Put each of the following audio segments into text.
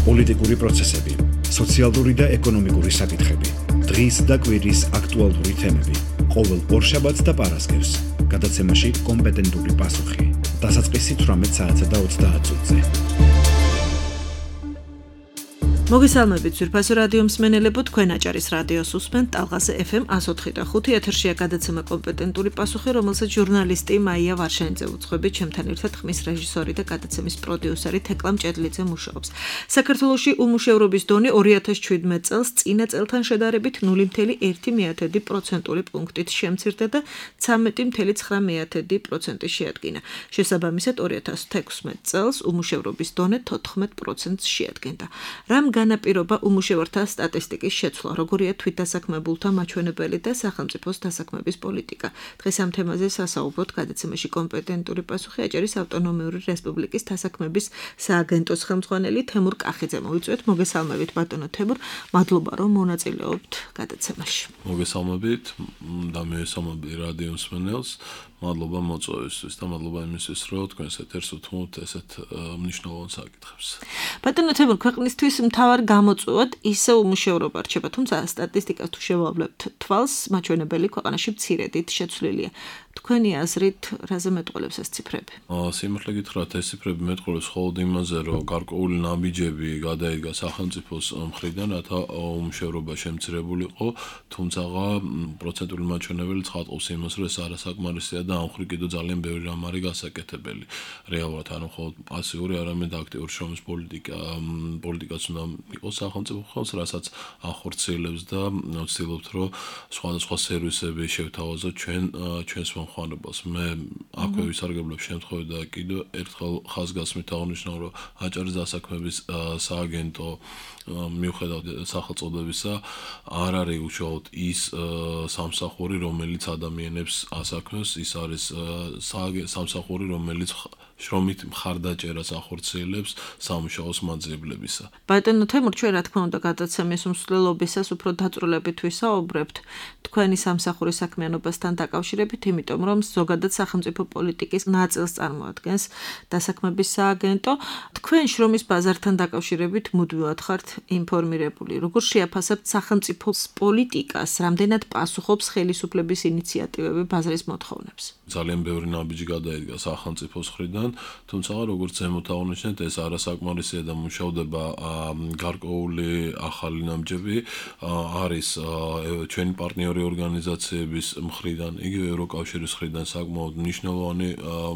პოლიტიკური პროცესები, სოციალური და ეკონომიკური საკითხები, დღის და კვირის აქტუალური თემები, ყოველ ორშაბათს და პარასკევს, გადაცემაში კომპეტენტური პასუხი, დასაწყისი 18 საათსა და 30 წუთზე. მოგესალმებით ძვირფასო რადიო მსმენელებო, თქვენ აჭარის რადიოს უსმენთ ტალღაზე FM 104.5 ეთერშია გადაცემა კომპეტენტური პასუხი, რომელსაც ჟურნალისტი მაია ვარშენიძე უძღვებით, ჩემთან ერთად ხმის რეჟისორი და გადაცემის პროდიუსერი თეკლა მჭედლიძე მუშაობს. საქართველოში უმუშევრობის დონე 2017 წელს წინა წელთან შედარებით 0.1% პუნქტით შემცირდა და 13.9% შეადგინა. შესაბამისად 2016 წელს უმუშევრობის დონე 14% შეადგენდა. რამ განაპირობა უმუშევართა სტატისტიკის შეცვლა, როგორია თვითდასაქმებულთა მაჩვენებელი და სახელმწიფოს დასაქმების პოლიტიკა. დღეს ამ თემაზე სასაუბროთ გადაცემაში კომპეტენტური პასუხი აჭარის ავტონომიური რესპუბლიკის დასაქმების სააგენტოს ხელმძღვანელი თემურ კახიძე. მოვიწვიეთ, მოგესალმებით ბატონო თემურ, მადლობა რომ მონაწილეობთ გადაცემაში. მოგესალმებით და მივესალმები რადიო მსმენელს. მადლობა მოწვევისთვის და მადლობა იმისთვის, რომ თქვენს ეთერს უთმობთ ესეთ მნიშვნელოვან საკითხებს. ბატონო თემურ, ქვეყნისთვის მთავარ გამოწვევად ისე უმუშევრობა რჩება, თუმცა სტატისტიკას თუ შევავლებთ თვალს, მაჩვენებელი ქვეყანაში მცირედით შეცვლილია. თქვენი აზრით, რაზე მეტყველებს ეს ციფრები? სიმართლე გითხრათ, ეს ციფრები მეტყველებს მხოლოდ იმაზე, რომ გარკვეული ნაბიჯები გადაიდგა სახელმწიფოს მხრიდან, რათა უმუშევრობა შემცირებულიყო, თუმცა პროცენტული მაჩვენებელი ცხადყობს იმას, რომ ეს არასაკმარისია და ამ მხრივ კიდევ ძალიან ბევრი რამ არის გასაკეთებელი. რეალურად ანუ მხოლოდ პასიური, არამედ აქტიური შრომის პოლიტიკაც უნდა იყოს სახელმწიფო ხელს, რასაც ახორციელებს და ვცდილობთ, რომ სხვადასხვა სერვისები შევთავაზოთ ჩვენს მომხმარებელს. მე აქვე ვისარგებლებ შემთხვევით და კიდევ ერთხელ ხაზგასმით აღნიშნავ, რომ აჭარის დასაქმების სააგენტო მიუხედავად სახელწოდებისა არ არის უშუალოდ ის სამსახური, რომელიც ადამიანებს ასაქმებს, ის არის სამსახური, რომელიც შრომით მხარდაჭერას ახორციელებს სამუშაოს მაძიებლებისა. ბატონო თემურ, ჩვენ რა თქმა უნდა გადაცემის მსვლელობისას უფრო დაწვრილებით ვისაუბრებთ თქვენი სამსახურის საქმიანობასთან დაკავშირებით, იმიტომ რომ ზოგადად სახელმწიფო პოლიტიკის ნაწილს წარმოადგენს დასაქმების სააგენტო. თქვენ შრომის ბაზართან დაკავშირებით მუდმივად ხართ ინფორმირებული. როგორ შეაფასებთ სახელმწიფოს პოლიტიკას, რამდენად პასუხობს ხელისუფლების ინიციატივები ბაზრის მოთხოვნებს? ძალიან ბევრი ნაბიჯი გადაიდგა სახელმწიფოს მხრიდან, თუმცა როგორც ზემოთ აღნიშნეთ, ეს არასაკმარისია და მუშავდება გარკვეული ახალი ნაბიჯები. არის ჩვენი პარტნიორი ორგანიზაციების მხრიდან, იგივე ევროკავშირის მხრიდან საკმაოდ მნიშვნელოვანი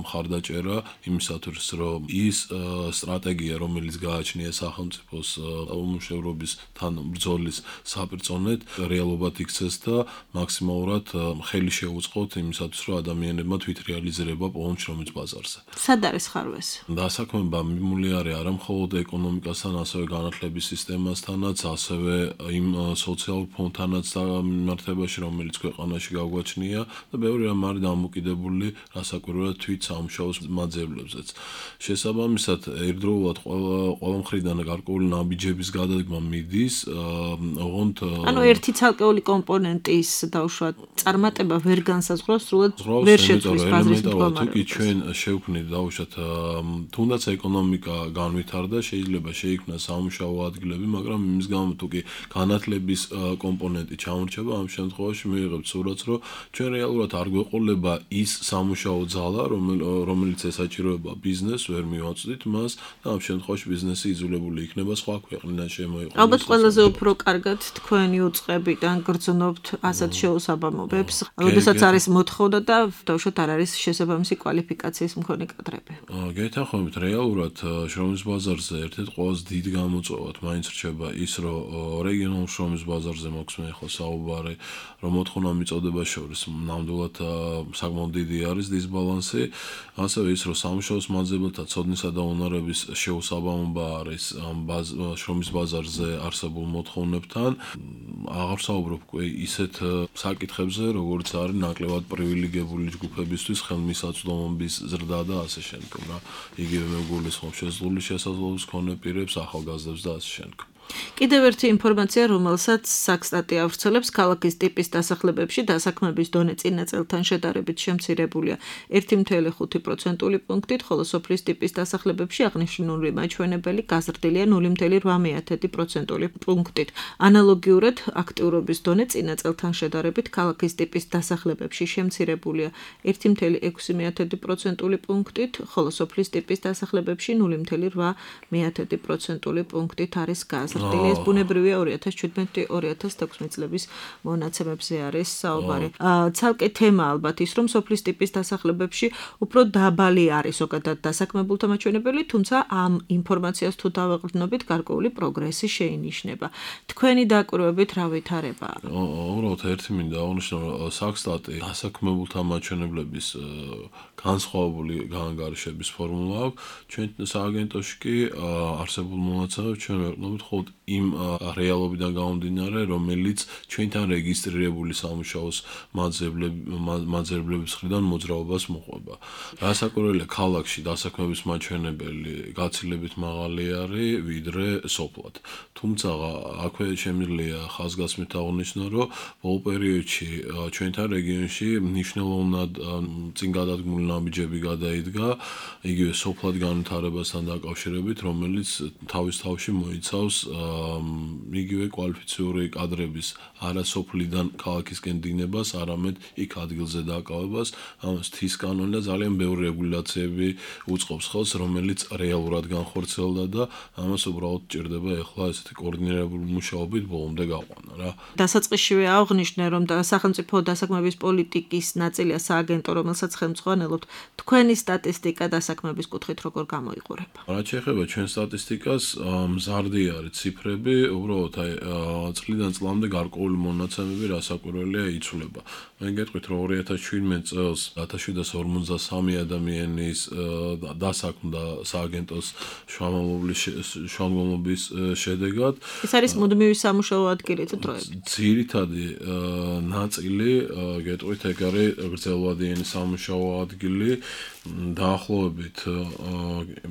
მხარდაჭერა იმისათვის, რომ ის სტრატეგია, რომელიც გააჩნია სახელმწიფოს უმუშევრობის თან ბრძოლის საპირწონედ, რეალობად იქცეს და მაქსიმალურად ხელი შეუწყოთ იმისათვის, რომ ადამიანებმა თვითრეალიზება პოვონ შრომის ბაზარზე. სად არის ხარვეს? დასაქმება მიმული არის არა მხოლოდ ეკონომიკასთან, ასევე განათლების სისტემასთანაც, ასევე იმ სოციალურ ფონდთანაც მიმართებაში, რომელიც ქვეყანაში გაგვაჩნია და ბევრი რამ არის დამოკიდებული რასაკვირველად თვით სამუშაოს მაძიებლებზეც. შესაბამისად, ერთდროულად ყველა მხრიდან გარკვეული ნაბიჯების გადადგმა მიდის, ოღონდ ანუ ერთი ცალკეული კომპონენტის დაუშვათ წარმატება ვერ განსაზღვრავს, სრულად ვერ შეცვლის ბაზრის მდგომარეობას. თუ ჩვენ შევქმნით დაუშვათ თუნდაც ეკონომიკა განვითარდა, შეიძლება შეიქმნას სამუშაო ადგილები, მაგრამ იმის გამო თუ კი განათლების კომპონენტი ჩამორჩება, ამ შემთხვევაში მივიღებთ სურათს, რომ ჩვენ რეალურად არ გვეყოლება ის სამუშაო ძალა, რომელიც ესაჭიროება ბიზნესს, ვერ მივაწვდით მას და ამ შემთხვევაში ბიზნესი იძულებული იქნება სხვა ქვეყნიდან შემოიყვანოს. ალბათ ყველაზე უფრო კარგად თქვენი უწყებიდან გრძნობთ ასეთ შეუსაბამობებს, როდესაც არის მოთხოვნა და დაუშვათ არ არის შესაბამისი კვალიფიკაციის მქონე კადრები. გეთანხმებით, რეალურად შრომის ბაზარზე ერთ-ერთ ყველაზე დიდ გამოწვევად მაინც რჩება ის, რომ რეგიონულ შრომის ბაზარზე მოხსნა ახლა საუბარი, რომ მოთხოვნა მიწოდება შორის ნამდვილად საკმაოდ დიდი არის დისბალანსი, ასევე ის, რომ სამუშაოს მაძიებელთა ცოდნისა და უნარების შეუსაბამობა არის შრომის ბაზარზე არსებულ მოთხოვნებთან. აღარ საუბრობ ისეთ საკითხებზე, როგორც არის ნაკლებად პრივილეგირებული ჯგუფებისთვის ხელმისაწვდომობის ზრდა და ასე შემდეგ. იგივე მეგულისხმობს შეზღუდული შესაძლებლობის მქონე პირებს, ახალგაზრდებს და ასე შემდეგ. კიდევ ერთი ინფორმაცია, რომელსაც საქსტატი ავრცელებს, ქალაქის ტიპის დასახლებებში დასაქმების დონე წინა წელთან შედარებით შემცირებულია 1.5% პუნქტით, ხოლო სოფლის ტიპის დასახლებებში აღნიშნული მაჩვენებელი გაზრდილია 0.8% პუნქტით. ანალოგიურად, აქტიურობის დონე წინა წელთან შედარებით ქალაქის ტიპის დასახლებებში შემცირებულია 1.6% პუნქტით, ხოლო სოფლის ტიპის დასახლებებში 0.8% პუნქტით არის გაზრდილი. ეს ბუნებრივია 2017-2016 წლების მონაცემებზე არის საუბარი. ცალკე თემა ალბათ ის, რომ სოფლის ტიპის დასახლებებში უფრო დაბალი არის ზოგადად დასაქმებულთა მაჩვენებელი, თუმცა ამ ინფორმაციას თუ დავაყრდნობით, გარკვეული პროგრესი შეინიშნება. თქვენი დაკვირვებით რა ვითარებაა? უბრალოდ ერთი მინდა აღნიშნო, რომ საქსტატი დასაქმებულთა მაჩვენებლების განსხვავებული განანგარიშების ფორმულა აქვს. ჩვენ სააგენტოში კი არსებულ მონაცემებს ჩვენ ვეყნობით მხოლოდ იმ რეალობიდან გამომდინარე, რომელიც ჩვენთან რეგისტრირებული სამუშაოს მაძიებლების მხრიდან მოძრაობას მოყვება. რასაკვირველია, ქალაქში დასაქმების მაჩვენებელი გაცილებით მაღალი არის, ვიდრე სოფლად. თუმცა აქვე შემიძლია ხაზგასმით აღნიშნო, რომ ბოლო პერიოდში ჩვენთან რეგიონში მნიშვნელოვნად წინ გადადგმული ნაბიჯები გადაიდგა, იგივე სოფლად განვითარებასთან დაკავშირებით, რომელიც თავის თავში მოიცავს იგივე კვალიფიციური კადრების არასოფლიდან ქალაქისკენ დინებას, არამედ იქ ადგილზე დაკავებას, ამას თის კანონი და ძალიან ბევრი რეგულაციები უწყობს ხელს, რომელიც რეალურად განხორციელდა და ამას უბრალოდ ჭირდება ახლა ესეთი კოორდინირებული მუშაობით ბოლომდე გაყვანა რა. დასაწყისშივე აღნიშნე, რომ სახელმწიფო დასაქმების პოლიტიკის ნაწილია სააგენტო, რომელსაც ხელმძღვანელობთ, თქვენი სტატისტიკა დასაქმების კუთხით როგორ გამოიყურება? რაც შეეხება ჩვენ სტატისტიკას, მზარდი არის ციფრები, უბრალოდ წლიდან წლამდე გარკვეული მონაცემები რასაკვირველია იცვლება. მე გეტყვით, რომ 2017 წელს 1753 ადამიანის დასაქმდა სააგენტოს შუამავლობის შედეგად. ეს არის მუდმივი სამუშაო ადგილი თუ დროებით? ძირითადი ნაწილი, გეტყვით, ეგ არის გრძელვადიანი სამუშაო ადგილი. დაახლოებით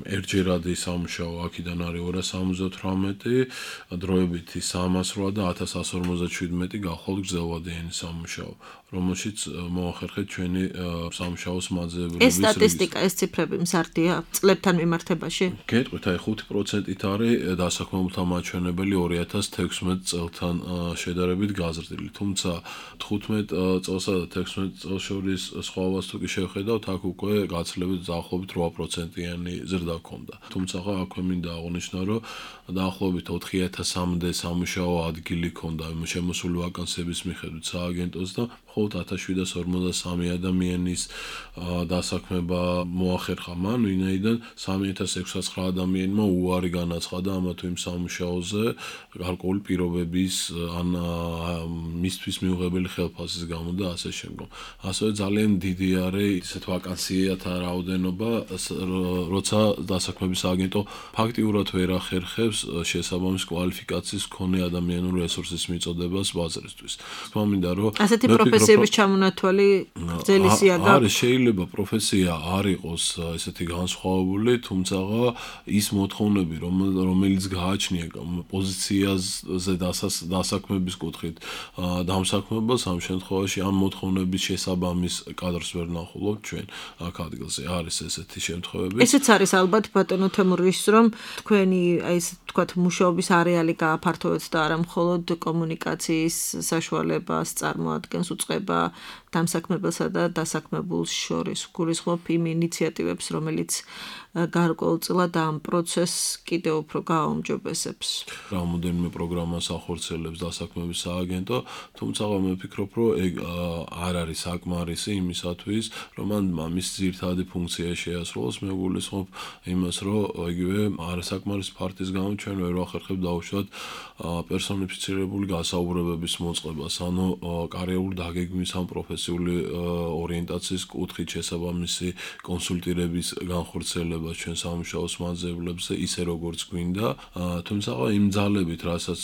ერთჯერადი სამუშაო აქედან არის 278, დროებითი 308 და 1157 გახლავთ გრძელვადიანი სამუშაო, რომელშიც მოახერხეთ ჩვენი სამუშაოს მაძიებლების ეს სტატისტიკა, ეს ციფრები მზარდია წლებთან მიმართებაში? გეტყვით, აი 5%-ით არის დასაქმებულთა მაჩვენებელი 2016 წელთან შედარებით გაზრდილი, თუმცა 15 წელსა და 16 წელს შორის სხვაობას თუ კი შევხედავთ, აქ უკვე გაცილებით დაახლოებით 8%-იანი ზრდა ჰქონდა. თუმცა აქვე მინდა აღნიშნო, რომ დაახლოებით 4000-მდე სამუშაო ადგილი ჰქონდა შემოსული ვაკანსიების მიხედვით სააგენტოს და მხოლოდ 1753 ადამიანის დასაქმება მოახერხა მან, ვინაიდან 3609 ადამიანმა უარი განაცხადა ამა თუ იმ სამუშაოზე გარკვეული პირობების ან მისთვის მიუღებელი ხელფასის გამო და ასე შემდგომ. ასევე ძალიან დიდი არის ისეთ ვაკანსიათა რაოდენობა, როცა დასაქმების სააგენტო ფაქტიურად ვერ ახერხებს შესაბამის კვალიფიკაციის მქონე ადამიანური რესურსის მიწოდებას ბაზრისთვის. თქმა მინდა, რომ ასეთი პროფესიების ჩამონათვალი გრძელისია და არის შეიძლება პროფესია არ იყოს ესეთი განსხვავებული, თუმცა ის მოთხოვნები, რომელიც გააჩნია პოზიციაზე დასაქმების კუთხით დამსაქმებელს, ამ შემთხვევაში ამ მოთხოვნების შესაბამის კადრს ვერ ნახულობთ ჩვენ აქ ადგილზე. არის ესეთი შემთხვევები. ესეც არის ალბათ ბატონო თემურის, რომ თქვენი აი ეს თქვათ მუშაობის არეალი გააფართოვეთ და არა მხოლოდ კომუნიკაციის საშუალებას წარმოადგენს, უწყება დამსაქმებელსა და დასაქმებულს შორის. გულისხმობ იმ ინიციატივებს, რომელიც გარკვეულწილად ამ პროცესს კიდევ უფრო გააუმჯობესებს. რამოდენიმე პროგრამას ახორციელებს დასაქმების სააგენტო, თუმცა მე ვფიქრობ, რომ ეგ არ არის საკმარისი იმისათვის, რომ მის ძირითადი ფუნქცია შეასრულოს. მე გულისხმობ იმას, რომ იგივე არასაკმარისი ფაქტის გამო ჩვენ ვერ ვახერხებთ დაუშვათ პერსონიფიცირებული გასაუბრებების მოწყებას, ანუ კარიერული დაგეგმვის ან პროფესიული ორიენტაციის კუთხით შესაბამისი კონსულტირების განხორციელება ჩვენ სამუშაოს მაძიებლებზე ისე როგორც გვინდა, თუმცა იმ ძალებით, რასაც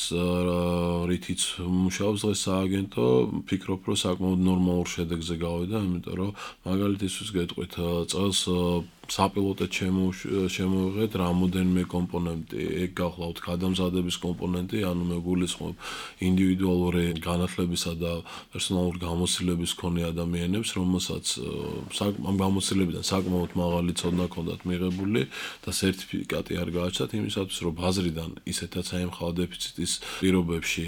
რითიც მუშაობს დღეს სააგენტო, ვფიქრობ, რომ საკმაოდ ნორმალურ შედეგზე გავიდა, იმიტომ რომ მაგალითისთვის გეტყვით, წელს საპილოტოდ შემოვიღეთ რამოდენიმე კომპონენტი, ეგ გახლავთ გადამზადების კომპონენტი, ანუ მე გულისხმობ ინდივიდუალური განათლებისა და პერსონალური გამოცდილების მქონე ადამიანებს, რომელსაც ამ გამოცდილებიდან საკმაოდ მაღალი ცოდნა ჰქონდათ მიღებული და სერტიფიკატი არ გააჩნდათ იმისათვის, რომ ბაზრიდან ისეთაც აემხალა დეფიციტის პირობებში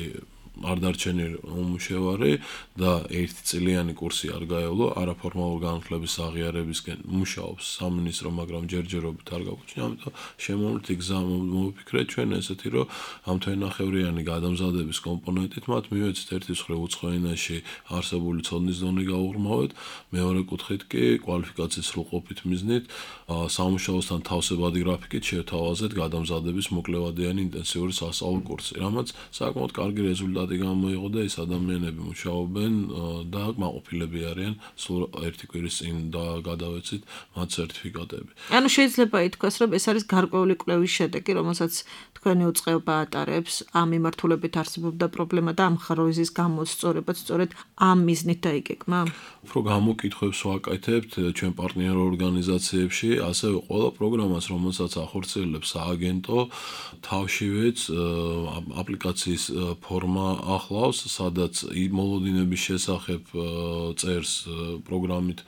არ დარჩენი უმუშევარი და 1 წლიანი კურსი არ გაევლო, არაფორმალურ განათლების აღიარებისკენ მუშაობს სამინისტრო, მაგრამ ჯერჯერობით არ გაგვჩნია, ამიტომ შემოვლით გზა მოვიფიქრეთ ჩვენ ესეთი, რომ ამ თვენახევრიანი გადამზადების კომპონენტით მათ მივეცეთ ერთის მხრივ უცხო ენაში არსებული ცოდნის დონე გაუღრმავეთ, მეორე კუთხით კი კვალიფიკაციის სრულყოფით მიზნით სამუშაოსთან თავსებადი გრაფიკით შევთავაზეთ გადამზადების მოკლევადიანი ინტენსიური სასწავლო კურსი, რამაც საკმაოდ კარგი რეზულტატი გამოიღო და ეს ადამიანები მუშაობენ და კმაყოფილები არიან, სულ 1 კვირის წინ და გადავეცით მათ სერტიფიკატები. ანუ შეიძლება ითქვას, რომ ეს არის გარკვეული კვლევის შედეგი, რომელსაც თქვენი უწყება ატარებს, ამ მიმართულებით არსებობდა პრობლემა და ამ ხაროიზის გამოსწორებაც სწორედ ამ მიზნით დაიგეგმა. უფრო გამოკითხვებს ვაკეთებთ ჩვენ პარტნიორ ორგანიზაციებში, ასევე ყველა პროგრამას, რომელსაც ახორციელებს სააგენტო, თავშივეც აპლიკაციის ფორმა ახლავს, სადაც მოლოდინების შესახებ წერს პროგრამით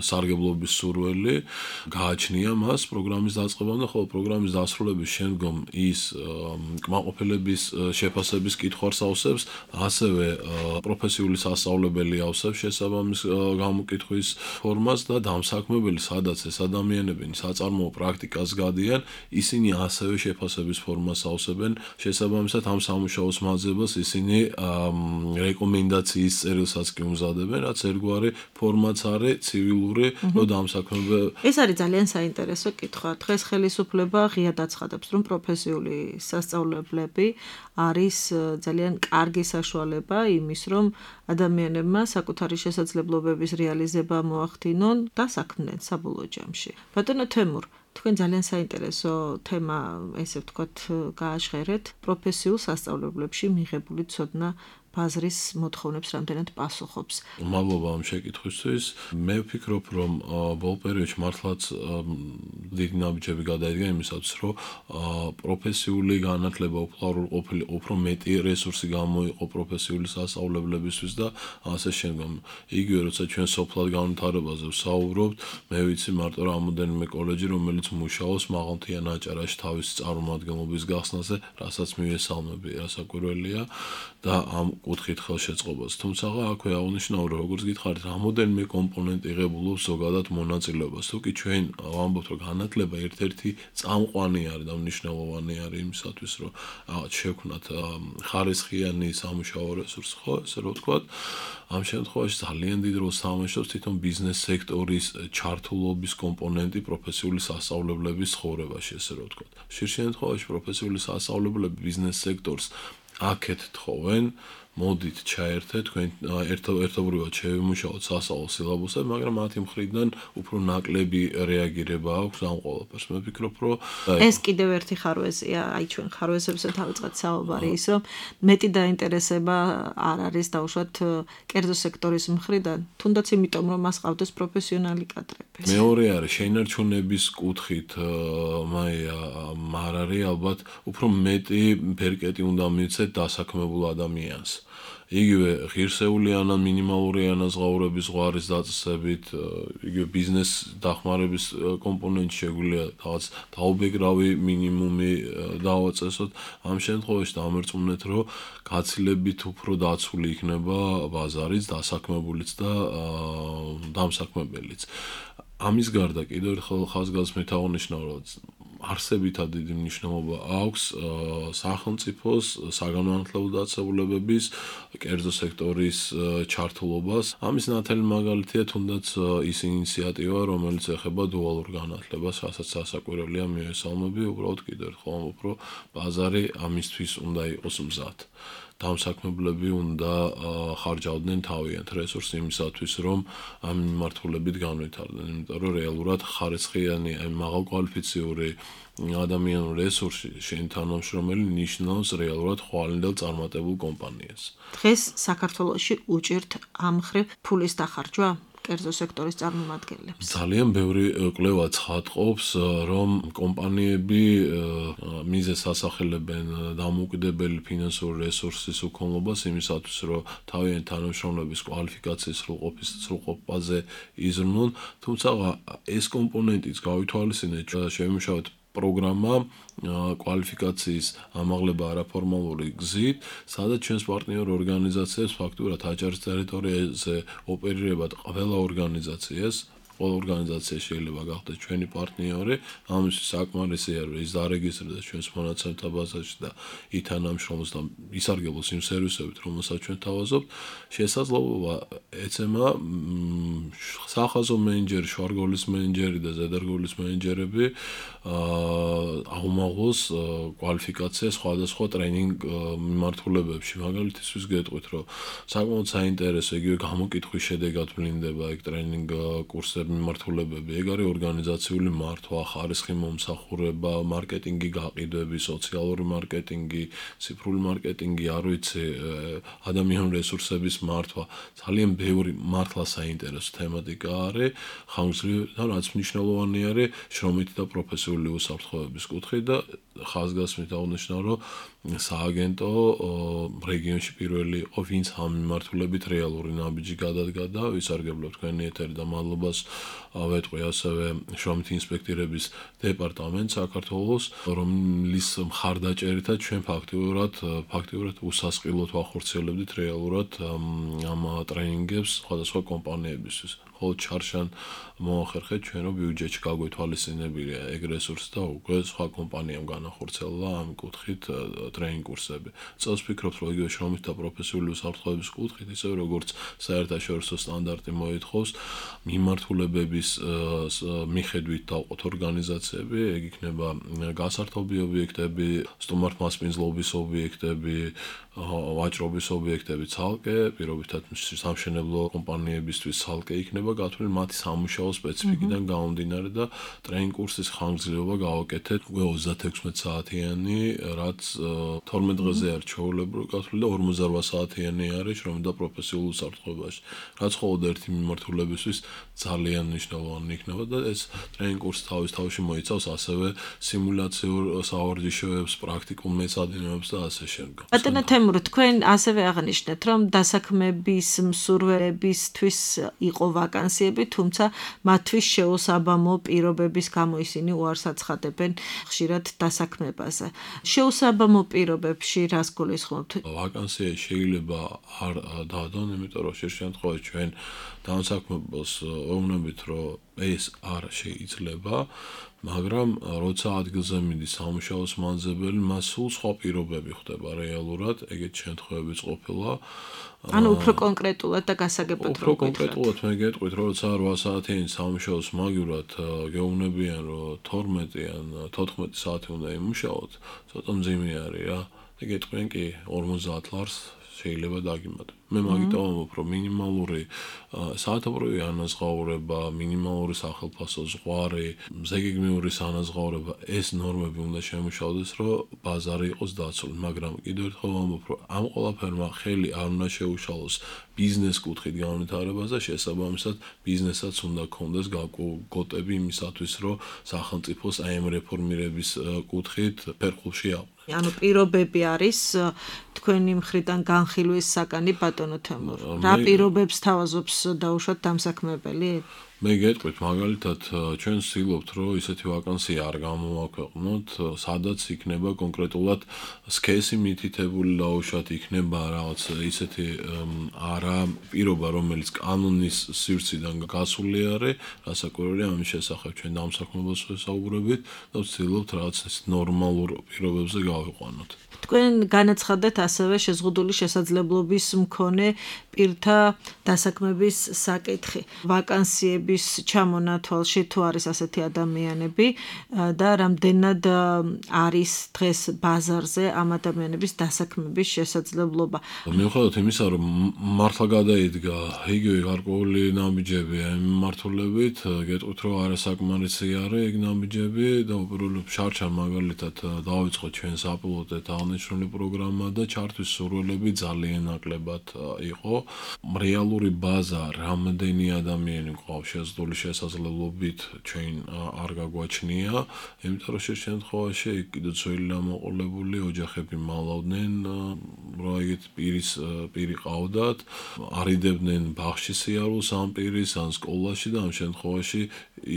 სარგებლობის სურვილი, გააჩნია მას პროგრამის დაწყებამდე, ხოლო პროგრამის დასრულების შემდგომ ის კმაყოფილების შეფასების კითხვას ავსებს, ასევე პროფესიული სასწავლებელი ავსებს შესაბამის გამოკითხვის ფორმას და დამსაქმებელი, სადაც ეს ადამიანები საწარმოო პრაქტიკას გადიან, ისინი ასევე შეფასების ფორმას ავსებენ, შესაბამისად ამ სამუშაოს მაძებელს ისინი რეკომენდაციის წერილსაც კი უმზადებენ, რაც ერთგვარი ფორმაც არის ცივილური, რომ დამსაქმებელი. ეს არის ძალიან საინტერესო კითხვა. დღეს ხელისუფლება ღიად აცხადებს, რომ პროფესიული სასწავლებლები არის ძალიან კარგი საშუალება იმის, რომ ადამიანებმა საკუთარი შესაძლებლობების რეალიზება მოახდინონ და საქმნენ საბოლოო ჯამში. ბატონო თემურ, თქვენ ძალიან საინტერესო თემა, ესე ვთქვათ, გააჟღერეთ, პროფესიულ სასწავლებლებში მიღებული ცოდნა ბაზრის მოთხოვნებს რამდენად პასუხობს. მადლობა ამ შეკითხვისთვის. მე ვფიქრობ, რომ ბოლო პერიოდში მართლაც დიდი ნაბიჯები გადაიდგა იმისათვის, რომ პროფესიული განათლება უფრო მეტი რესურსი გამოიყო პროფესიული სასწავლებლებისთვის და ასე შემდგომ. იგივე როცა ჩვენ სოფლად განვითარებაზე ვსაუბრობთ, მე ვიცი მარტო რამოდენიმე კოლეჯი, რომელიც მუშაობს მაღალმთიან აჭარაში თავისი წარმომადგენლობის გახსნაზე, რასაც მივესალმები, რასაკვირველია და ამ კუთხით ხელშეწყობას. თუმცა აქვე აღნიშნავ, რომ როგორც გითხარით, რამოდენიმე კომპონენტი იღებულობს ზოგადად მონაწილეობას. თუ კი ჩვენ ვამბობთ, რომ განათლება ერთ-ერთი წამყვანი არის და მნიშვნელოვანი არის იმისათვის, რომ შევქმნათ ხარისხიანი სამუშაო რესურსი, ხო, ესე რომ ვთქვათ, ამ შემთხვევაში ძალიან დიდ როლს თამაშობს თვითონ ბიზნეს სექტორის ჩართულობის კომპონენტი პროფესიული სასწავლებლების ცხოვრებაში, ესე რომ ვთქვათ. ხშირ შემთხვევაში პროფესიული სასწავლებლები ბიზნეს სექტორს აქეთ თხოვენ, მოდით ჩაერთეთ, თქვენ ერთობრივად შევიმუშაოთ სასწავლო სილაბუსები, მაგრამ მათი მხრიდან უფრო ნაკლები რეაგირება აქვს ამ ყველაფერს. მე ვფიქრობ, რომ ეს კიდევ ერთი ხარვეზია, აი ჩვენ ხარვეზებზე დავიწყეთ საუბარი, ის რომ მეტი დაინტერესება არ არის დაუშვათ კერძო სექტორის მხრიდან, თუნდაც იმიტომ, რომ მას ყავდეს პროფესიონალი კადრები. მეორე არის შენარჩუნების კუთხით, არ არის ალბათ უფრო მეტი ბერკეტი უნდა მიცეთ დასაქმებულ ადამიანს. იგივე ღირსეული ან მინიმალური ანაზღაურების ზღვარის დაწესებით, იგივე ბიზნეს დახმარების კომპონენტი შეგვიძლია რაღაც დაუბეგრავი მინიმუმი დავაწესოთ. ამ შემთხვევაში დამერწმუნეთ, რომ გაცილებით უფრო დაცული იქნება ბაზარიც, დასაქმებულიც და დამსაქმებელიც. ამის გარდა კიდევ ერთხელ ხაზგასმით აღნიშნავ, რომ არსებითად დიდი მნიშვნელობა აქვს სახელმწიფოს საგანმანათლებლო დაწესებულებების კერძო სექტორის ჩართულობას. ამის ნათელი მაგალითია თუნდაც ის ინიციატივა, რომელიც ეხება დუალურ განათლებას, რასაც სასაკვირველია მივესალმები, უბრალოდ კიდევ ერთხელ ამბობ, რომ ბაზარი ამისთვის უნდა იყოს მზად. დამსაქმებლები უნდა ხარჯავდნენ თავიანთ რესურსს იმისათვის, რომ ამ მიმართულებით განვითარდნენ, იმიტომ რომ რეალურად ხარისხიანი, მაღალკვალიფიციური ადამიანური რესურსი შენ თანამშრომელი ნიშნავს რეალურად ხვალინდელ წარმატებულ კომპანიას. დღეს საქართველოში უჭირთ ამ მხრივ ფულის დახარჯვა? კერძო სექტორის წარმომადგენლებს. ძალიან ბევრი კვლევა ცხადყოფს, რომ კომპანიები მიზეზს ასახელებენ დამოუკიდებელი ფინანსური რესურსის უქონლობას იმისათვის, რომ თავიანთი თანამშრომლების კვალიფიკაციის სრულყოფაზე იზრუნონ, თუმცა ეს კომპონენტიც გავითვალისწინეთ, შემუშავეთ პროგრამა კვალიფიკაციის ამაღლება არაფორმალური გზით, სადაც ჩვენს პარტნიორ ორგანიზაციებს ფაქტურად აჭარის ტერიტორიაზე ოპერირებად ყველა ორგანიზაციას შეიძლება გახდეს ჩვენი პარტნიორი, ამისთვის საკმარისია რომ ის დარეგისტრირდეს ჩვენს მონაცემთა ბაზაში და ითანამშრომლოს და ისარგებლოს იმ სერვისებით, რომელსაც ჩვენ თავაზობთ. შესაძლებლობა ეცემა სახაზო მენეჯერი, შუარგოლის მენეჯერი და ზედარგოლის მენეჯერები აუმაღლოს კვალიფიკაცია სხვადასხვა ტრეინინგ მიმართულებებში. მაგალითისთვის გეტყვით, რომ საკმაოდ საინტერესო იგივე გამოკითხვის შედეგად ვლინდება ეგ ტრეინინგ კურსები მიმართულებები, ეგ არის ორგანიზაციული მართვა, ხარისხი მომსახურება, მარკეტინგი გაყიდვები, სოციალური მარკეტინგი, ციფრული მარკეტინგი, არ ვიცი, ადამიანური რესურსების მართვა, ძალიან ბევრი მართლა საინტერესო თემატიკა არის, ხანგრძლივი და რაც მნიშვნელოვანი არის, შრომითი და პროფესიული უსაფრთხოების კუთხით და ხაზგასმით აღნიშნა, რომ სააგენტო რეგიონში პირველი იყო, ვინც ამ მიმართულებით რეალური ნაბიჯი გადადგა და ვისარგებლობ თქვენი ეთერი და მადლობას ვეტყვი ასევე შრომითი ინსპექტირების დეპარტამენტს საქართველოს, რომლის მხარდაჭერითაც ჩვენ ფაქტიურად უსასყიდლოდ ვახორციელებდით რეალურად ამ ტრეინინგებს სხვადასხვა კომპანიებისთვის. ხოლო ჩარშან მოახერხეთ ჩვენ რომ ბიუჯეტში გაგვეთვალისწინებია ეგ რესურსი და უკვე სხვა კომპანიამ განახორციელა ამ კუთხით ტრეინინგ კურსები. წელს ვფიქრობთ, რომ იგივე შრომით და პროფესიული უსაფრთხოების კუთხით, ისევე როგორც საერთაშორისო სტანდარტი მოითხოვს, მიმართულებების მიხედვით დავყოთ ორგანიზაციები, ეგ იქნება გასართობი ობიექტები, სტუმართმასპინძლობის ობიექტები, ვაჭრობის ობიექტები ცალკე, პირობითად სამშენებლო კომპანიებისთვის ცალკე იქნება გათვლილი მათი სამუშაო სპეციფიკიდან გამომდინარე და ტრეინინგ კურსის ხანგრძლივობა გავაკეთეთ უკვე 36 საათიანი, რაც 12 დღეზე არის ჩვეულებრივი გათვლილი და 48 საათიანი არის შრომით და პროფესიულ უსაფრთხოებაში, რაც მხოლოდ ერთი მიმართულებისთვის ძალიან მნიშვნელოვანი იქნება და ეს ტრეინინგ კურსი თავში მოიცავს ასევე სიმულაციურ სავარჯიშოებს, პრაქტიკულ მეცადინეობებს და ასე შემდეგ. ბატონო თემურ, თქვენ ასევე აღნიშნეთ, რომ დასაქმების მსურველებისთვის იყო ვაკანსიები, თუმცა მათთვის შეუსაბამო პირობების გამო ისინი უარს აცხადებენ ხშირად დასაქმებაზე. შეუსაბამო პირობებში რას გულისხმობთ? ვაკანსია შეიძლება არ დადონ, იმიტომ რომ ხშირ შემთხვევაში ჩვენ დამსაქმებელს ვეუბნებით, რომ ეს არ შეიძლება, მაგრამ როცა ადგილზე მიდის სამუშაოს მაძებელი, მას სულ სხვა პირობები ხდება რეალურად, ეგეთ შემთხვევებიც ყოფილა. ანუ უფრო კონკრეტულად და გასაგებად რო კონკრეტულად მე გეტყვით, რომ როცა 8 საათიანი სამუშაოს მაგივრად გეუბნებიან, რომ 12 ან 14 საათი უნდა იმუშაოთ, ცოტა მძიმე არის რა. და გეტყვიან კი 50 ლარს შეიძლება დაგიმატო. მე მაგით ვამბობ, რომ მინიმალური საათობრივი ანაზღაურება, მინიმალური სახელფასო ზღვარი, ზეგეგმიური ანაზღაურება, ეს ნორმები უნდა შემუშავდეს, რომ ბაზარი იყოს დაცული, მაგრამ კიდევ ერთხელ ვამბობ, რომ ამ ყველაფერმა ხელი არ უნდა შეუშალოს ბიზნეს კუთხით განვითარებას და შესაბამისად ბიზნესაც უნდა ქონდეს გაკუთები იმისათვის, რომ სახელმწიფოს აი ამ რეფორმირების კუთხით ფერხულში აყვანოს. ანუ პირობები არის თქვენი მხრიდან განხილვის საკანი ბატონო თემურ. რა პირობებს თავაზობს დაუშვათ დამსაქმებელი? მე გეტყვით, მაგალითად, ჩვენ ვცდილობთ, რომ ისეთი ვაკანსია არ გამოვაქვეყნოთ, სადაც იქნება კონკრეტულად სქესი მითითებული დაუშვათ, იქნება რაღაც ისეთი არა პირობა, რომელიც კანონის სივრციდან გასული არის, რასაკვირველია ამის შესახებ ჩვენ დამსაქმებელს ვესაუბრებით და ვცდილობთ რაღაც ნორმალურ პირობებზე გავიყვანოთ. თქვენ განაცხადეთ ასევე შეზღუდული შესაძლებლობის მქონე პირთა დასაქმების საკითხი. ვაკანსიები ადამიანების ჩამონათვალში თუ არის ასეთი ადამიანები და რამდენად არის დღეს ბაზარზე ამ ადამიანების დასაქმების შესაძლებლობა. მიუხედავად იმისა, რომ მართლა გადაიდგა იგივე გარკვეული ნაბიჯები ამ მიმართულებით, გეტყვით, რომ არასაკმარისი არის ეგ ნაბიჯები და უპირველეს შარჩან მაგალითად დავიწყოთ ჩვენ საპილოტეთ აღნიშნული პროგრამა და ჩართვის სურვილები ძალიან ნაკლებად იყო. რეალური ბაზა რამდენი ადამიანი ყავს შეზღუდული შესაძლებლობით ჩვენ არ გაგვაჩნია, იმიტომ რომ შე შემთხვევაში კიდევ ძველი დამოყოლებული ოჯახები მალავდნენ, რა იგივე პირი ყავდათ, არიდებდნენ ბაღში სიარულს ამ პირის ან სკოლაში და ამ შემთხვევაში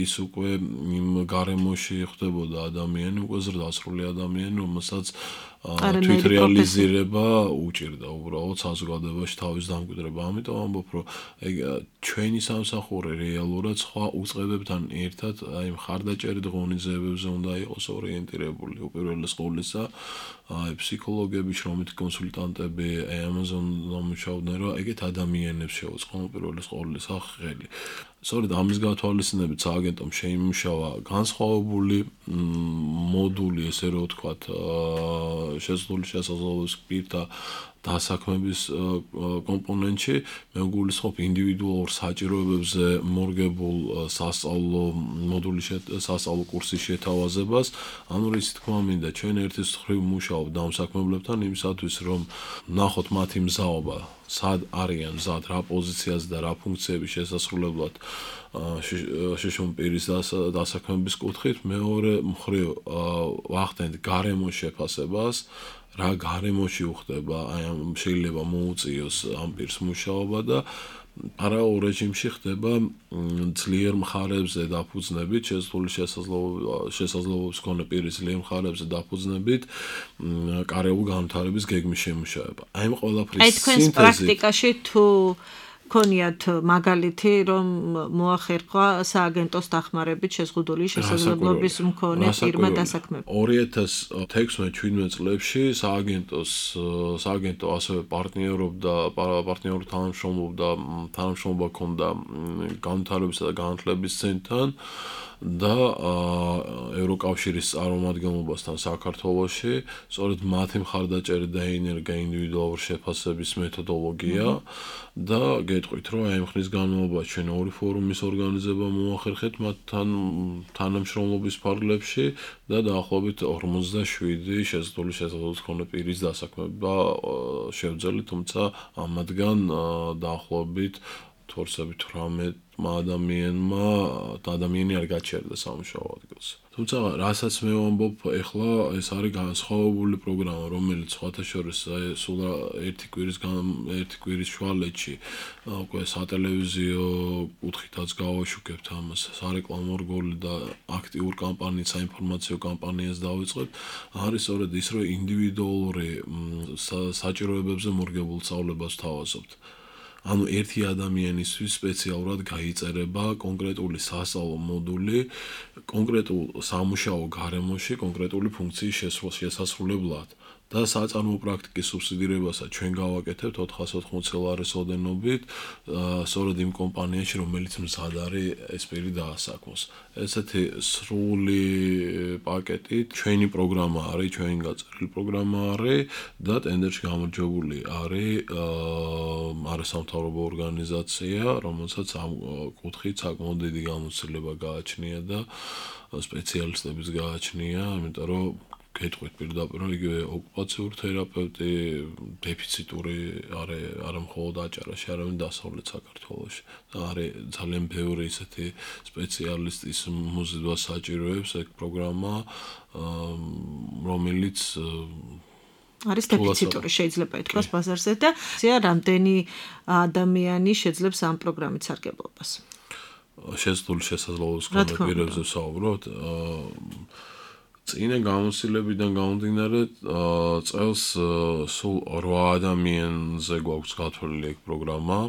ის უკვე იმ გარემოში ხდებოდა ადამიანი, უკვე ზრდასრული ადამიანი, რომელსაც თვითრეალიზირება უჭირდა უბრალოდ საზოგადოებაში თავის დამკვიდრება. ამიტომ ამბობ, რომ ჩვენი სამსახური რეალურად სხვა უწყებებთან ერთად აი მხარდაჭერით ღონისძიებებზე უნდა იყოს ორიენტირებული. უპირველეს ყოვლისა ფსიქოლოგები, შრომითი კონსულტანტები, ამაზონ მუშაობდნენ, რომ ეგეთ ადამიანებს შეუწყონ უპირველეს ყოვლისა ხელი. სწორედ ამის გათვალისწინებით სააგენტომ შეიმუშავა განსხვავებული მოდული, ესე რომ ვთქვათ, შეზღუდული შესაძლებლობის პირთა დასაქმების კომპონენტში, მე გულისხმობ ინდივიდუალურ საჭიროებებზე მორგებულ სასწავლო მოდული სასწავლო კურსის შეთავაზებას. ანუ რის თქმა მინდა, ჩვენ ერთის მხრივ მუშაობთ დამსაქმებლებთან იმისათვის, რომ ნახოთ მათი მზაობა, სად არიან მზად, რა პოზიციაზე და რა ფუნქციების შესასრულებლად შიშუმ პირის დასაქმების კუთხით. მეორე მხრივ ვახდენთ გარემოს შეფასებას, რა გარემოში უხდება, აი შეიძლება მოუწიოს ამ პირს მუშაობა და პარალელურ რეჟიმში ხდება ძლიერ მხარებზე დაფუძნებით, შეზღუდული შესაძლებლობის მქონე პირის ძლიერ მხარებზე დაფუძნებით კარიერული განვითარების გეგმის შემუშავება. აი ამ ყველაფრის სინთეზი. აი თქვენს პრაქტიკაში თუ ქონიათ მაგალითი, რომ მოახერხვა სააგენტოს დახმარებით შეზღუდული შესაძლებლობის მქონე პირმა დასაქმება. 2016-17 წლებში სააგენტო ასევე პარტნიორულ თანამშრომლობა ჰქონდა განვითარებისა და განათლების ცენტრთან და ევროკავშირის წარმომადგენლობასთან საქართველოში. სწორედ მათი მხარდაჭერით დაინერგა ინდივიდუალური შეფასების მეთოდოლოგია და გეტყვით, რომ აი ხნის განმავლობაში ჩვენ ორი ფორუმის ორგანიზება მოახერხეთ მათთან თანამშრომლობის ფარგლებში და დაახლოებით 47 შეზღუდული შესაძლებლობის მქონე პირის დასაქმება შევძელით, თუმცა ამათგან დაახლოებით 18 ადამიანი არ გაჩერდა სამუშაო ადგილს. თუმცა რასაც მე ვამბობ, ეხლა ეს არის განსხვავებული პროგრამა, რომელიც სხვათა შორის სულ ერთი კვირის შუალედში უკვე სატელევიზიო კუთხითაც გავაშუქებთ ამას, სარეკლამო რგოლი და აქტიურ კამპანიას, საინფორმაციო კამპანიას დავიწყებთ. არის სწორედ ის, რომ ინდივიდუალური საჭიროებებზე მორგებულ სწავლებას ვთავაზობთ. ანუ ერთი ადამიანისთვის სპეციალურად გაიწერება კონკრეტული სასწავლო მოდული, კონკრეტულ სამუშაო გარემოში, კონკრეტული ფუნქციის შესასრულებლად. და საწარმო პრაქტიკის სუბსიდირებასაც ჩვენ გავაკეთებთ 480 ლარის ოდენობით, სწორედ იმ კომპანიაში, რომელიც მზად არის ეს პირი დაასაქმოს. ესეთი სრული პაკეტით ჩვენი პროგრამა არის, ჩვენი გაწერილი პროგრამა არის და ტენდერში გამარჯვებული არის არასამთავრობო ორგანიზაცია, რომელსაც ამ კუთხით საკმაოდ დიდი გამოცდილება გააჩნია და სპეციალისტების გააჩნია, იმიტომ რომ გეტყვით პირდაპირ, რომ იგივე ოკუპაციურ თერაპევტი დეფიციტური არა მხოლოდ აჭარაში, არამედ დასავლეთ საქართველოში. და არის ძალიან ბევრი ისეთი სპეციალისტის მოზიდვა საჭიროებს ეგ პროგრამა, რომელიც არის დეფიციტური, შეიძლება ითქვას ბაზარზე და რამდენი ადამიანი შეძლებს ამ პროგრამით სარგებლობას. შეზღუდული შესაძლებლობის მქონე პირებზე ვსაუბრობთ. წინა გამოცდილებიდან გამომდინარე, წელს სულ 8 ადამიანზე გვაქვს გათვლილი ეგ პროგრამა.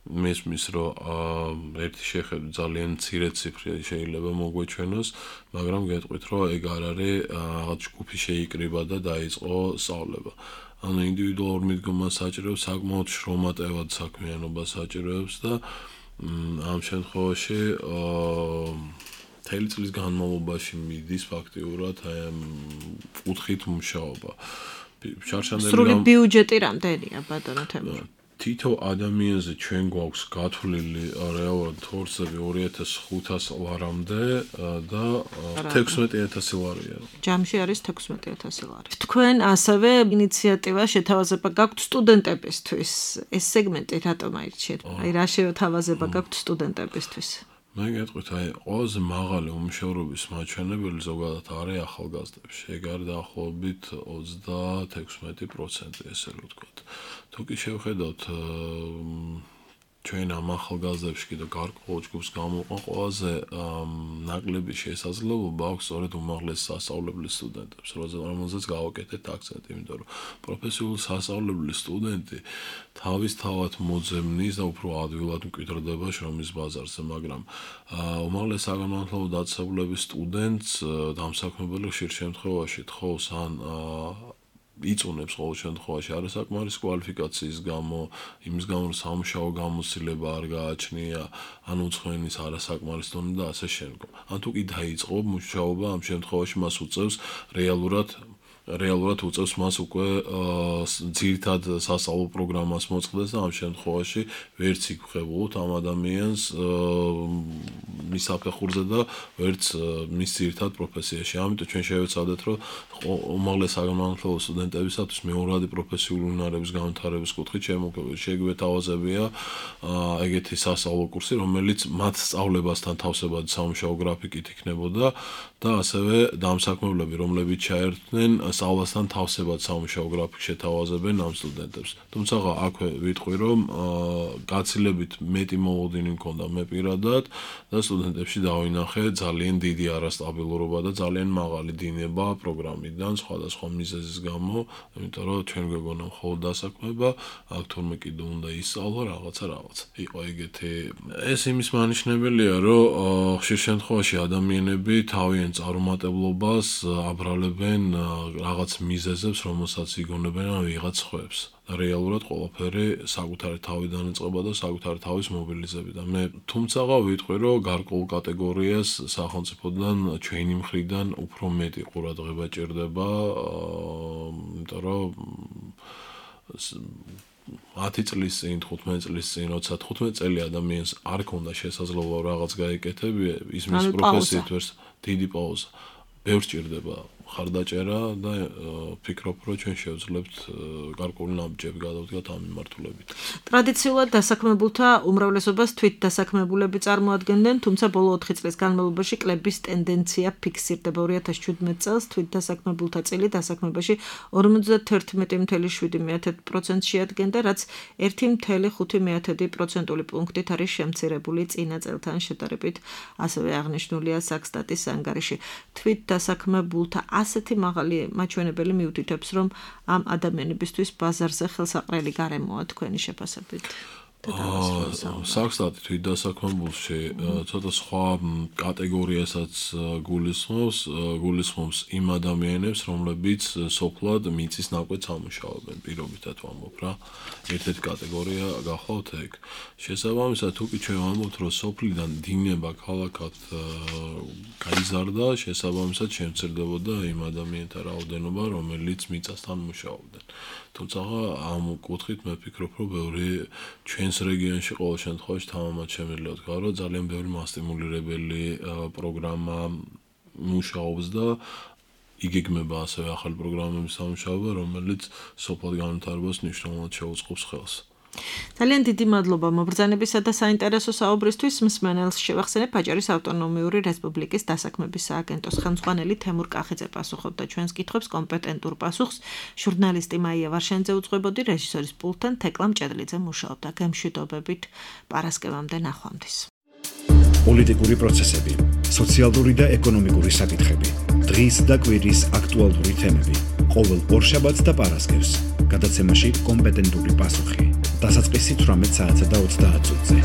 მესმის, რომ ერთი შეხედვით ძალიან მცირე ციფრი შეიძლება მოგვეჩვენოს, მაგრამ გეტყვით, რომ ეგ არ არის რაღაც ჯგუფი შეიკრიბა და დაიწყო სწავლება. ანუ ინდივიდუალურ მიდგომას საჭიროებს, საკმაოდ შრომატევად საქმიანობას საჭიროებს და ამ შემთხვევაში მთელი წლის განმავლობაში მიდის ფაქტიურად აი ამ კუთხით მუშაობა. სრული ბიუჯეტი რამდენია ბატონო თემურ? თითო ადამიანზე ჩვენ გვაქვს გათვლილი რეალურად თორსები 2500 ლარამდე და 16000 ლარია. ჯამში არის 16000 ლარი. თქვენ ასევე ინიციატივა შეთავაზება გაქვთ სტუდენტებისთვის. ეს სეგმენტი რატომ აირჩიეთ? აი რა შეთავაზება გაქვთ სტუდენტებისთვის? მე გეტყვით, აი ყველაზე მაღალი უმუშევრობის მაჩვენებელი ზოგადად არის ახალგაზრდებში. ეგ არის დაახლოებით 36%, ესე რომ ვთქვათ. თუ კი შევხედავთ ჩვენ ამ ახალგაზრდებში კიდევ გარკვეულ ჯგუფს გამოყვან ყველაზე ნაკლები შესაძლებლობა აქვს სწორედ უმაღლეს სასწავლებლის სტუდენტებს, რომელზეც გავაკეთეთ აქცენტი, იმიტომ რომ პროფესიული სასწავლებლის სტუდენტი თავისთავად მოძებნის და უფრო ადვილად მკვიდრდება შრომის ბაზარზე, მაგრამ უმაღლეს საგანმანათლებლო დაწესებულების სტუდენტს დამსაქმებელი ხშირ შემთხვევაში თხოვს ან იწუნებს ყოველ შემთხვევაში არასაკმარის კვალიფიკაციის გამო, იმის გამო რომ სამუშაო გამოცდილება არ გააჩნია, ან უცხოენის არასაკმარის დონე და ასე შემდგომ. ან თუ კი დაიწყო მუშაობა, ამ შემთხვევაში მას უწევს რეალურად უწევს მას უკვე ძირითად სასწავლო პროგრამას მოწყდეს და ამ შემთხვევაში ვერც იქ-ხვებულობთ ამ ადამიანს მის საფეხურზე და ვერც მის ძირითად პროფესიაში. ამიტომ ჩვენ შევეცადეთ, რომ უმაღლეს საგანმანათლებლო სტუდენტებისათვის მეორადი პროფესიული უნარების განვითარების კუთხით შეგვეთავაზებია ეგეთი სასწავლო კურსი, რომელიც მათ სწავლებასთან თავსებადი სამუშაო გრაფიკით იქნებოდა და ასევე დამსაქმებლები, რომლებიც ჩაერთვნენ სწავლასთან თავსებად სამუშაო გრაფიკს შეთავაზებენ ამ სტუდენტებს. თუმცა აქვე ვიტყვი, რომ გაცილებით მეტი მოლოდინი მქონდა მე პირადად და სტუდენტებში დავინახე ძალიან დიდი არასტაბილურობა და ძალიან მაღალი დინება პროგრამიდან სხვადასხვა მიზეზის გამო, იმიტომ რომ ჩვენ გვეგონა მხოლოდ დასაქმება, აქ თურმე კიდე უნდა ისწავლა რაღაცა. იყო ეგეთი. ეს იმის მანიშნებელია, რომ ხშირ შემთხვევაში ადამიანები თავიანთ წარუმატებლობას აბრალებენ რაღაც მიზეზებს, რომელსაც იგონებენ ან ვიღაც ხვევს. და რეალურად ყველაფერი საკუთარი თავიდან იწყება და საკუთარი თავის მობილიზებით. მე თუმცაღა ვიტყვი, რომ გარკვეულ კატეგორიას სახელმწიფოდან ჩვენი მხრიდან უფრო მეტი ყურადღება ჭირდება, იმიტომ რომ 10 წლის წინ, 15 წლის წინ, როცა 15 წელი ადამიანს არ ქონდა შესაძლებლობა რაღაც გაეკეთებია, ის მის პროფესიით ვერს დიდი პაუზა. ბევრს ჭირდება ხარდაჭერა და ფიქრობ, რომ ჩვენ შევძლებთ გარკვეული ნაბიჯები გადავდგათ ამ მიმართულებით. ტრადიციულად დასაქმებულთა უმრავლესობას თვით დასაქმებულები წარმოადგენდნენ, თუმცა ბოლო 4 წლის განმავლობაში კლების ტენდენცია ფიქსირდება. 2017 წელს თვით დასაქმებულთა წილი დასაქმებაში 51.7% შეადგენდა, რაც 1.5% პუნქტით არის შემცირებული წინა წელთან შედარებით, ასევე აღნიშნულია საქსტატის ანგარიში. თვით დასაქმებულთა ასეთი მაღალი მაჩვენებელი მიუთითებს, რომ ამ ადამიანებისთვის ბაზარზე ხელსაყრელი გარემოა თქვენი შეფასებით. საქსტატი თვით დასაქმებულში ცოტა სხვა კატეგორიასაც გულისხმობს იმ ადამიანებს, რომლებიც სოფლად მიწის ნაკვეთს ამუშავებენ, პირობითად ვამბობ რა. ერთ-ერთი კატეგორია გახლავთ ეგ. შესაბამისად, თუ კი ჩვენ ვამბობთ, რომ სოფლიდან დინება ქალაქად გაიზარდა, შესაბამისად შემცირდებოდა იმ ადამიანთა რაოდენობა, რომელიც მიწასთან მუშაობდნენ. თუმცა ამ კუთხით მე ვფიქრობ, რომ ბევრი ჩვენს რეგიონში ყოველ შემთხვევაში თამამად შემიძლია ვთქვა, რომ ძალიან ბევრი მასტიმულირებელი პროგრამა მუშაობს და იგეგმება ასევე ახალი პროგრამების სამუშაობა, რომელიც სოფლად განვითარებას მნიშვნელოვნად შეუწყობს ხელს. ძალიან დიდი მადლობა მობრძანებისა და საინტერესო საუბრისთვის. მსმენელს შევახსენებ, აჭარის ავტონომიური რესპუბლიკის დასაქმების სააგენტოს ხელმძღვანელი თემურ კახიძე პასუხობდა ჩვენს კითხვებს კომპეტენტურ პასუხს. ჟურნალისტი მაია ვარშენძე უძღვებოდი, რეჟისორის პულტთან თეკლა მჭედლიძე მუშაობდა. გემშვიდობებით პარასკევამდე ნახვამდის. პოლიტიკური პროცესები, სოციალური და ეკონომიკური საკითხები, დღის და კვირის აქტუალური თემები. ყოველ ორშაბათს და პარასკევს გადაცემაში კომპეტენტური პასუხი. დასაწყისი 18 საათსა და 30 წუთზე.